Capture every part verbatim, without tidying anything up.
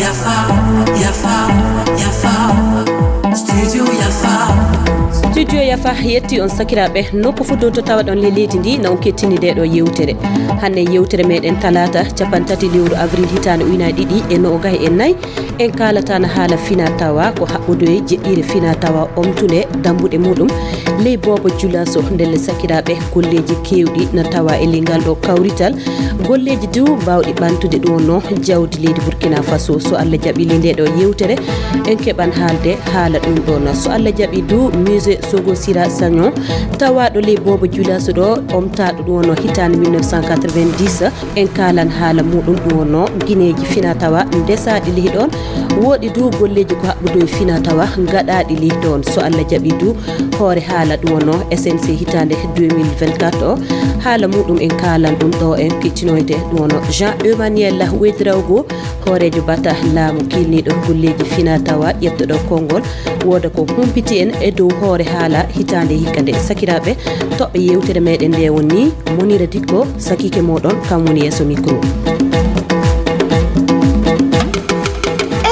Yafa, yafa, yafa. Studio Yafa. Studio Yafa yetti on sakiraaɓe, nokku fuu ɗo to tawaɗon ley leydi ndi, na on kettini nde ɗo yewtere. Hannde yewtere meɗen talaata, cappanɗe tati lewru avril hitaande ujunaaji ɗiɗi e noogay e nayi. En kaalata na haala fina tawa ko haɓɓodoye jeɗɗire fina tawa omtunde dambuɗe muɗum ley boobo julaso. Ndelle sakiraaɓe, golleeji keewɗi na tawa e ley ngal ɗo kawrital. Golleeji du baawɗi ɓantude ɗum wonno jawdi leydi Burkina Faso. So Allah jaɓi ley nde ɗo yewtere, en keɓan haalde haala ɗum ɗon. So Allah jaɓi du, musée Sogo Sira Sagnon, tawaɗo ley boobo julaso ɗo, omtaɗo ɗum wonno hitaande mille neuf cent quatre-vingt-dix, en kaalan haala muɗum ɗum wonno gineeji fina tawa ndesaaɗi ley ɗon. Woɗi du golleeji ko haɓɓudo e fina tawa gaɗaaɗi ley ɗon. So Allah jaɓi du, hoore haala ɗum wonno S N C hitaande deux mille vingt-quatre o, haala muɗum en kaalan ɗum ɗo, en kettinoyde ɗum wonno Jean Emmanuel Ouedraogo, hooreejo bata laamu kiilniiɗo golleeji fina tawa ƴettoɗo konngol, wooda ko humpiti en e dow hoore haala hitaande hikka nde. Sakiraaɓe, toɓɓe yewtere meɗen nde woni Monira Dikko, sakiike moɗon, kam woni yeeso micro.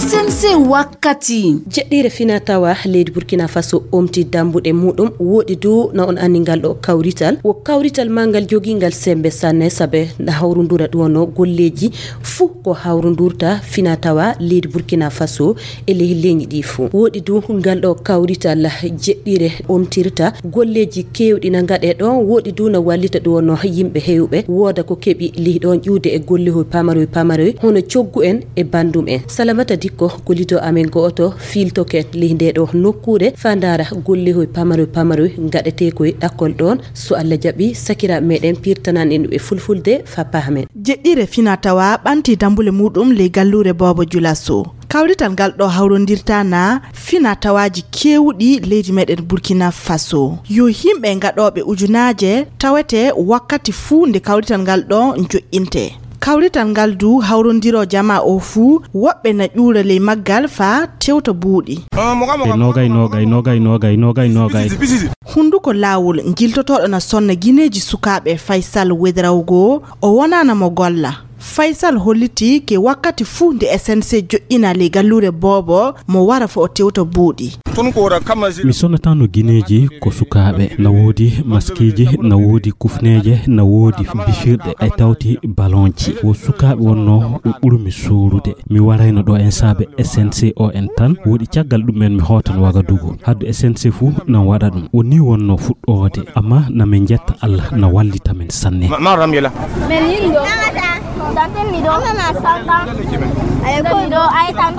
S N C wakkati. Jeɗɗire fina tawa leydi Burkina Faso omti dambuɗe muɗum, woɗi du na on anndi ngal ɗo kawrital. Wo kawrital ma ngal jogingal sembe sanne, sabe na hawrundura ɗum wonno golleeji fuu ko hawrundurta fina tawa leydi Burkina Faso e ley leñi ɗi fuu. Woɗi du ngal ɗo kawrital jeɗɗire omtirta golleeji keewɗi na ngaɗe ɗon. Woɗi du na wallita ɗum wonno yimɓe hewɓe wooda ko keɓi ley ɗon ƴuude e gollehoy pamaroy pamaroy hono coggu en e bandum en. Salamata Dikko, gollido amen gooto, fiiltoken ley nde ɗo nokkuure faa ndaara gollehoy pamaroy pamaroy ngaɗetee koy ɗakkol ɗon. So Allah jaɓi, sakiraaɓe meɗen pirtanan en ɗum e fulfulde faa pahamen. Jeɗɗire fina tawa ɓanti dambule muɗum ley galluure boobo julaso. Kawrital ngal ɗo hawrondirta na fina tawaaji keewɗi leydi meɗen Burkina Faso. Yo yimɓe gaɗooɓe ujunaaje tawete wakkati fuu nde kawrital ngal ɗo joƴƴinte. Kawrital ngal du hawrondiro jamaa o fuu, woɓɓe na ƴuura ley maggal faa tewta buuɗi. E nogay, nogay, nogay, nogay, nogay, nogay. Hunduko laawol jiltotooɗo na sonna gineeji sukaaɓe Faysal Wedrawgo, o wonaana mo golla. Faysal holliti ke wakkati fuu nde S N C joƴƴina ley galluure boobo mo wara fo o tewta buuɗi. Mi sonnataano gineeji ko sukaaɓe. Na woodi maskiiji, na woodi kufneeje, na woodi bifirɗe, ay tawti balonji. Wo sukaaɓe wonno ɓe ɓurmi suurude. Mi warayno ɗo en saabe S N C o en tan. Woodi caggal ɗum en mi hootan Wagadugu. Haddu S N C fuu nan waɗa ɗum. O nii wonno fuɗɗoode. Amma na min njetta Allah na wallita min sanne.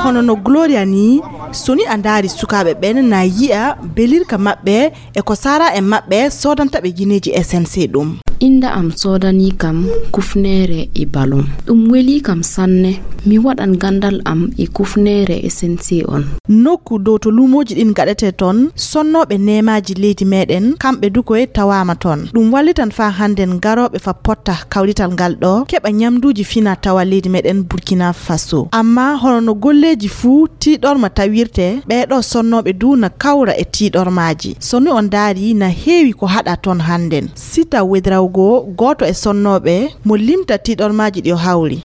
Hono no Gloria ni, so ni a ndaari sukaaɓe ɓen na yi'a belirka maɓɓe e ko saara en maɓɓe soodanta ɓe gineeji S N C ɗum. Innde am soodanii kam kufneere e balon. Ɗum welii kam sanne. Mi waɗan ganndal am e kufneere S N C on. Nokku dow to luumooji ɗin gaɗetee ton, sonnooɓe neemaaji leydi meɗen, kamɓe du koye tawaama ton. Ɗum wallitan faa hannden garooɓe fa potta kawrital ngal ɗo, keɓa ñamduuji fina tawa leydi meɗen Burkina Faso. Amma hono no golleeji fuu tiiɗorma tawirte, ɓee ɗo sonnooɓe du na kawra e tiiɗormaaji. So ni on ndaari, na heewi ko haɗa ton hannden. Sita Wedrawgo, gooto e sonnooɓe, mo limta tiiɗormaaji ɗi o hawri.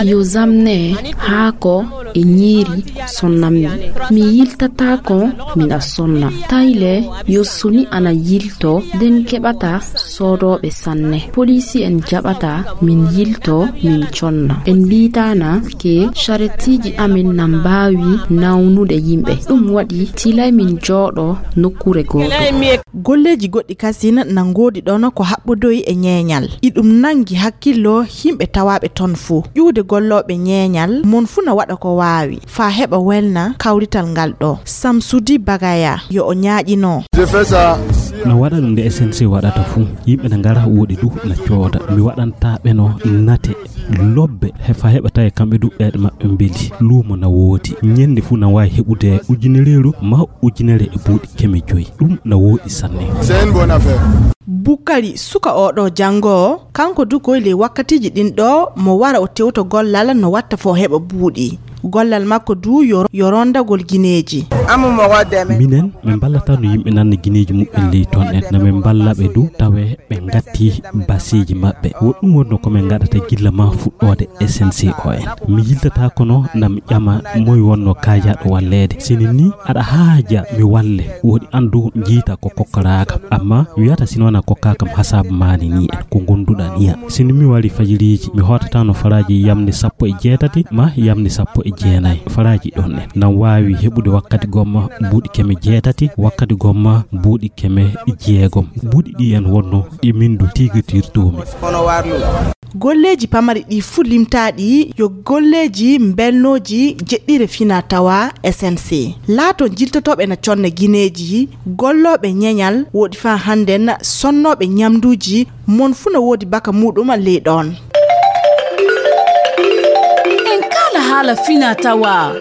Yo zamne haa ko e ñiiri sonnammi. Mi yiltataako miɗa sonna. Tayle yo soni ana yilto, nden keɓata soodooɓe sanne. Poliisi en jaɓata min yilto, min conna. En mbiitaana ke carettiiji amin na mbaawi nawnude yimɓe. Ɗum waɗi tilay min jooɗo nokkuure gooto. Golleeji goɗɗi kasin na ngoodi ɗon ko haɓɓodoyi e ñeeñal. Iɗum nangi hakkillo yimɓe tawaaɓe ton fuu. Ƴuude gollooɓe ñeeñal, mon fuu na waɗa ko waawi faa heɓa welna kawrital ngal ɗo. Samsudi Bagaya, yo o ñaaƴino. Na waɗa ɗum nde S N C waɗata fuu. Yimɓe na ngara, woɗi du na cooda. Mi waɗanta ɓe no nate lobbe, he faa heɓa tawi kamɓe du ɓeeɗe maɓɓe mbeli. Luumo na woodi. Ñennde fuu na waawi heɓude ujinereeru ma ujunere e buuɗi keme joyi. Ɗum na woodi sanne. Bukari, suka oo ɗo janngo, kanko du koy ley wakkatiiji ɗin ɗo, mo wara o tewto gollal no watta fo heɓa buuɗi. Gollal makko du yo, yo rondagol gineeji. Minen, min mballata no yimɓe nanna gineeji muɓɓen ley ton en. Na min mballa ɓe du, tawe ɓe ngatti baseeji maɓɓe. Woɗɗum wonno ko min ngaɗata gilla ma fuɗɗoode S N C O en. Mi yiltata kono na mi ƴama moy wonno kaajaɗo walleede. Sini ni aɗa haaja mi walle, woɗi andu jiita ko kokkoraaka. Amma wiyata sino na kokka kam hasaabu maani ni en, ko gonduɗa niya. Sini mi wari fajiriiji, mi hootata no faraaji yamni sappo e jeetati ma yamni sappo e jeenayi. Faraaji ɗon en. Nan waawi heɓude wakkati gomma buuɗi keme jeetati, wakkati gomma buuɗi keme jeegom. Buuɗi ɗi en wonno ɗi min du tigitirtoomi. Golleeji pamari ɗi fuu limtaaɗi yo golleeji mbelnooji jeɗɗire fina tawa S N C. Laato jiltotooɓe na conna gineeji, gollooɓe ñeñal, woɗi faa hannden sonnooɓe ñamduuji, mon fuu no woodi baka muuɗum ley ɗoon. En kaala haala fina tawa.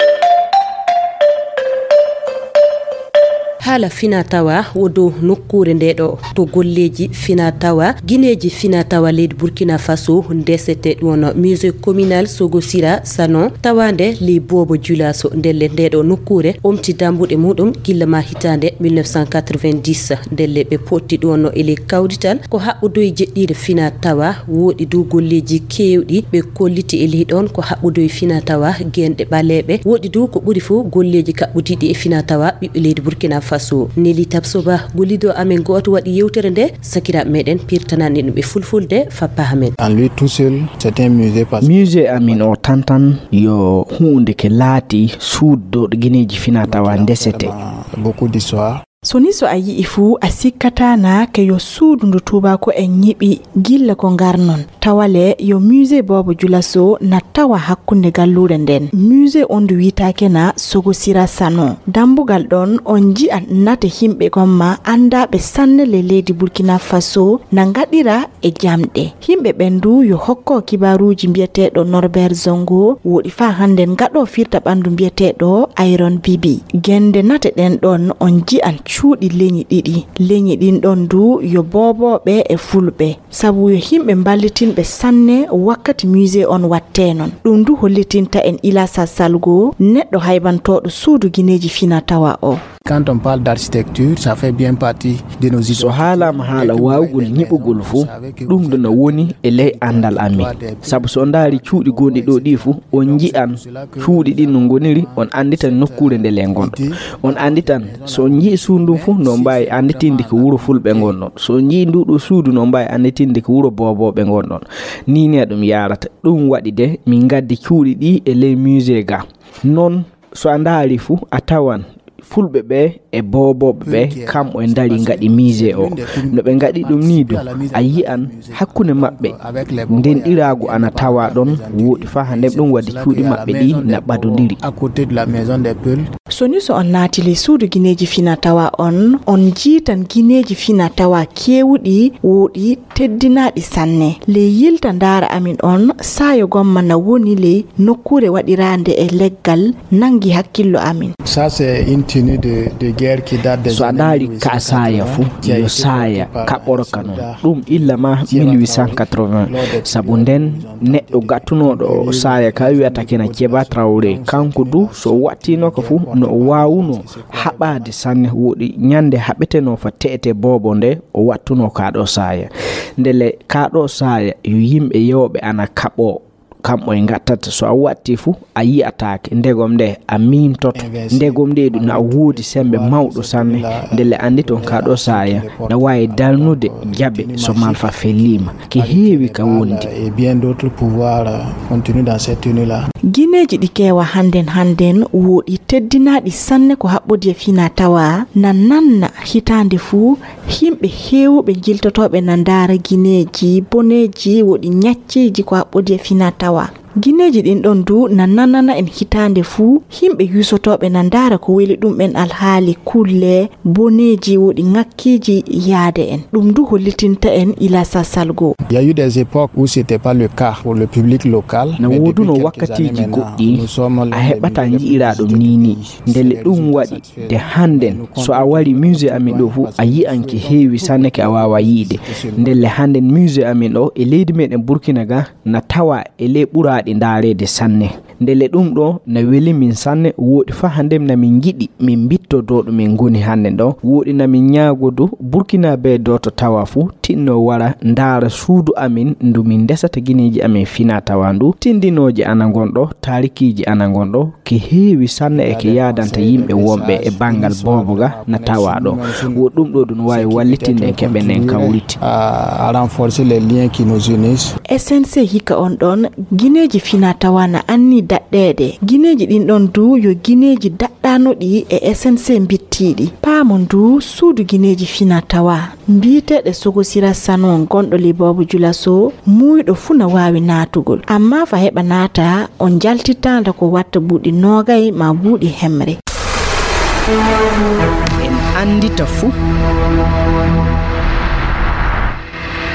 Haala fina tawa wo dow nokkuure nde ɗo to golleeji fina tawa, gineeji fina tawa leydi Burkina Faso ndesete ɗum won Musée Communal Sogo Sira Sanon tawaande ley Boobo Julaso. Ndelle nde ɗo nokkuure omti dambuɗe muɗum gilla ma hitaande mille neuf cent quatre-vingt-dix. Ndelle ɓe potti ɗum wonno e ley kawdital ko haɓɓudoyi jeɗɗiire fina tawa, woɗi du golleeji keewɗi ɓe kolliti e ley ɗon ko haɓɓudoyi fina tawa genɗe ɓaleeɓe, woɗi du ko ɓuri fof golleeji kaɓɓudiiɗi e fina tawa ɓiɓɓe leydi Burkina Faso. Neli Tabsoba, gollido amen gooto waɗi yewtere nde, sakiraaɓe meɗen pirtanani ɗum e fulfulde, Fappa Ahmed. En lui tout seul, c'est un musée parce que Musée amin o tantan yo huunde ke laati suudu ɗo gineeji fina tawa ndesete. Beaucoup d'histoire. So ni so a yi'i fuu, a sikkataa naa ke yo suudu ndu tuubaako en ñiɓi gilla ko ngarnon. Tawale yo musée Boobo Julaso na tawa hakkunde galluure nden. Musée on ndu wiitaake na Sogo Sira Sano. Dambugal ɗon on nji'a nate himɓe gomma andaaɓe sanne le leydi Burkina Faso na ngaɗira e jamɗe. Himɓe ɓen du yo hokko kibaaruuji mbiyeteeɗo Norbert Zongo, woɗi faa hannden ngaɗo firta ɓanndu mbiyeteeɗo Iron Bibi. Gennde nate ɗen ɗon on nji'an cuuɗi leñi ɗiɗi. Leñi ɗin ɗon du yo boobooɓe e fulɓe. Sabu yo himɓe mballitinɓe sanne wakkati musée on wattee non. Ɗum du hollitinta en Ilasa Salgo, neɗɗo haybantooɗo suudu gineeji fina tawa o. Quand on parle d'architecture, ça fait bien partie de nos So haalaama haala waawugol ñiɓugol fof, ɗum ɗo no woni e ley anndal amin. Sabu so on ndaari cuuɗi gonɗi ɗo ɗi fof, on nji'an cuuɗi ɗin no ngoniri, on annditan nokkuure nde le ngonɗon. On annditan so on nji'i suudu ndun fof, no mbaawi annditinde ko wuro fulɓe ngonɗon. So on nji'i ndu ɗo suudu, no mbaawi annditinde ko wuro boobooɓe ngonɗon. Ni ne ɗum yaarata. Ɗum waɗi de min ngaddi cuuɗi ɗi e ley musée ga. Non so a ndaari fuu, a tawan fulɓe ɓe e boobooɓe ɓe, kamɓe e ndari ngaɗi musée o. No ɓe ngaɗi ɗum ni du, a yi'an hakkunde maɓɓe ndenɗiraagu ana tawa ɗon, woɗi faa hannde ɗum waɗi cuuɗi maɓɓe ɗi na ɓadondiri. À côté de la maison des Peuls. So ni so on naati ley suudu gineeji fina tawa on, on njiitan gineeji fina tawa keewuɗi, woɗi teddinaaɗi sanne. Ley yilta ndaara amin on, saayo gomma na woni ley nokkuure waɗiraande e leggal nanngi hakkillo amin. Ça, c'est une tenue de, de guerre qui date des So a années ndaari ka saaya fu, mille huit cent quatre-vingts, yo saaya kaɓɓoro ka non. Ɗum illa ma mille huit cent quatre-vingts. Sabu nden neɗɗo gattunooɗo o saaya ka wiyata kena Keba Traoré. Kanko du so wattinoka fu no o waawuno haɓaade sanne, woɗi ñande haɓeteno fa teete boobo nde o wattuno kaa ɗo saaya. Ndele kaa ɗo saaya yo yimɓe yewɓe ana kaɓoo, kamɓe e ngattata. So a watti fu a yi'ataake. Ndegom nde a miimtoto. Ndegom nde du na woodi sembe mawɗo sanne. Ndele anndi ton kaa ɗo saaya na waawi dalnude jaɓe so malfa felliima. Ki heewi ka wondi. Et bien d'autres pouvoirs, euh, continuent dans cette tenue-là. Gineeji ɗi keewa hannden hannden woɗi teddinaaɗi sanne ko haɓɓodi e fina tawa na nanna hitaande fuu, himɓe heewuɓe jiltotooɓe na ndaara gineeji boneeji woɗi ñacceeji ko haɓɓodi e fina tawa. Gineeji ɗin ɗon du na nanana en hitaande fuu, himɓe yuusotooɓe na ndaara ko weli ɗum en alhaali kulle, boneeji woɗi ŋakkiiji yaade en. Ɗum du hollitinta en Ilasa Salgo. Il y a eu des époques où c'était pas le cas pour le public local. Na wooduno wakkatiiji goɗɗi a heɓata nji'ira ɗum ni ni. Ndele ɗum waɗi de hannden so a wari musée amin ɗo fu a yi'an ki heewi sanne ke a waawa yi'de. Ndelle hannden musée amin ɗo e leydi meɗen Burkina ga na tawa e ley ɓura Ɗi ndaareede sanne. Ndelle ɗum ɗo na weli min sanne, wooɗi faa hannde na min njiɗi min mbittodoo ɗo min ngoni hannde ɗo. Wooɗi na min ñaagodu Burkinabee dooto tawa fuu tinno wara ndaara suudu amin ndu min ndesata gineeji amin fina tawa ndu. Tindinooje ana ngon ɗo, taarikiiji ana ngon ɗo, ki heewi sanne e ki yaadanta yimɓe wonɓe e banngal boobo ga na tawa ɗo. Wo ɗum ɗo ɗum waawi wallitinde en keɓen en kawriti. À, à renforcer les liens qui nous unissent. S N C hikka on ɗon gineeji fina tawa na anni daɗɗeede. Gineeji ɗin ɗon du yo gineeji daɗɗanoɗi e S N C mbittiiɗi. Paamon du suudu gineeji fina tawa mbiyeteeɗo Sogosira Sano gonɗo Liboobo Julaso, muuyɗo fuu na waawi naatugol. Amma fa heɓa naata, on njaltittaanda ko watta buuɗi noogay maa buuɗi hemre. En anndita fuu.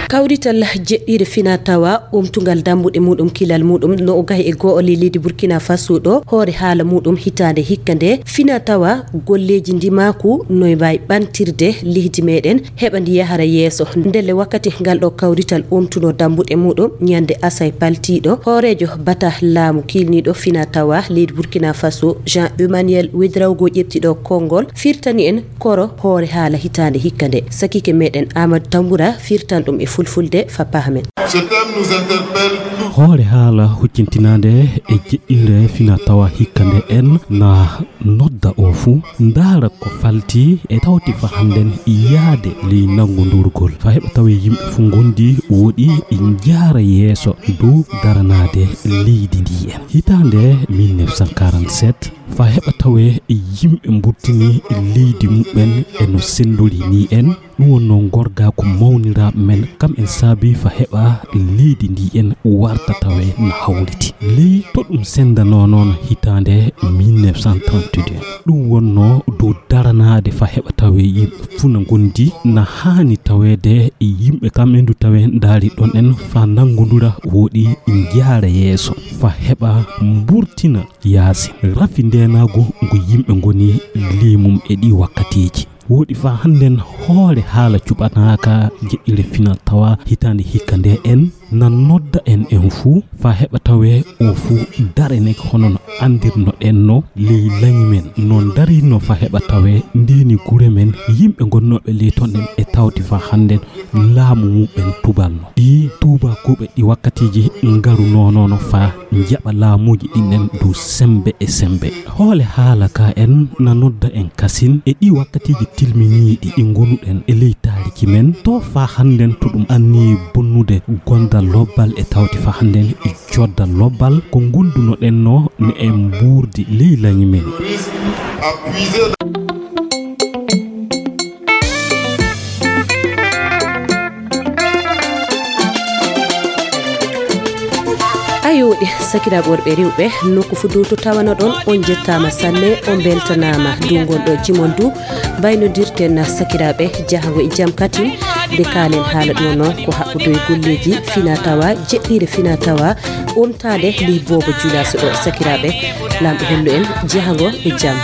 Kawrital jeɗɗiire fina tawa, umtungal dambuɗe muɗum, kilal muɗum, no o gahi e goo ley leydi Burkina Faso ɗo, hoore haala muɗum hitaande hikka nde, fina tawa, golleeji ndimaaku, no e mbaawi ɓantirde leydi meɗen, heɓa ndi yahara yeeso. Ndelle wakkati ngal ɗo kawrital umtuno dambuɗe muɗum, ñande asay paltiiɗo, hooreejo bata laamu kiilniiɗo fina tawa leydi Burkina Faso, Jean Emmanuel Ouedraogo ƴeɓtiɗo konngol, firtani en koro hoore haala hitaande hikka nde. Sakiike meɗen Amadou Tambura firtan ɗum e fulfulde fa pahamen. Ce thème nous interpelle tous. Hoore haala huccintinaande e jeɗɗiire fina tawa hikka nde en na nodda o fuu, ndaara ko falti e tawti fa hannden yaade ley nanngondurgol. Fa heɓa tawe yimɓe fuu ngondi woɗi njaara yeeso dow daranaade leydi ndi en. Hitaande mille neuf cent quarante-sept, fa heɓa tawe yimɓe mburtini leydi muɓɓen e no senndori ni en. Ɗum wonnoo ngorgaaku mawniraaɓe men, kam en saabii fa heɓa leydi ndi en warta tawe no hawriti. Ley to ɗum senndanoo noon hitaande mille neuf cent trente-deux. Ɗum wonnoo dow daranaade fa heɓa tawe yimɓe fuu na ngondi, na haani taweede yimɓe kam en du tawe ndaari ɗon en fa nanngondura woɗi njaara yeeso fa heɓa mburtina yaasi. Rafi ndeenaagu ngu yimɓe ngoni ley mum e ɗii wakkatiiji. Woɗi fa hannden hoore haala cuɓanaaka jeɗɗire fina tawa hitaande hikka nde en na nodda en en fuu fa heɓa tawe o fuu dareneke hono no anndirnoɗen no ley lañi men. No ndarinno fa heɓa tawe ndeeni gure men yimɓe gonnooɓe ley ton en e tawti fa hannden laamu muɓɓen tubalno. Ɗi tuubaakuuɓe ɗi wakkatiiji ngaru noonono fa njaɓa laamuuji ɗin en dow semmbe e semmbe. Hoole haala ka en na nodda en kasin e ɗi wakkatiiji tilminiiɗi ɗi ngonuɗen e ley taariki men. To fa hannden to ɗum anni bonnude gondal lobbal e tawti fa hannden e joddal lobbal ko ngondunoɗen no ne en mbuurdi ley lañi men. Ayooɗe, sakiraaɓe worɓe e rewɓe, nokku fuu dow to tawanoɗon, on njettaama sanne, on mbeltanaama. Ndu ngon ɗo jimon du, mbaynodirten sakiraaɓe, jahango e jam katin, nde kaalen haala ɗo noon ko haɓɓude e golleeji fina tawa, jeɗɗiire fina tawa, omtaade ley boobo Julaaso ɗo. Sakiraaɓe, Laamɗo hollu en jahango e jam.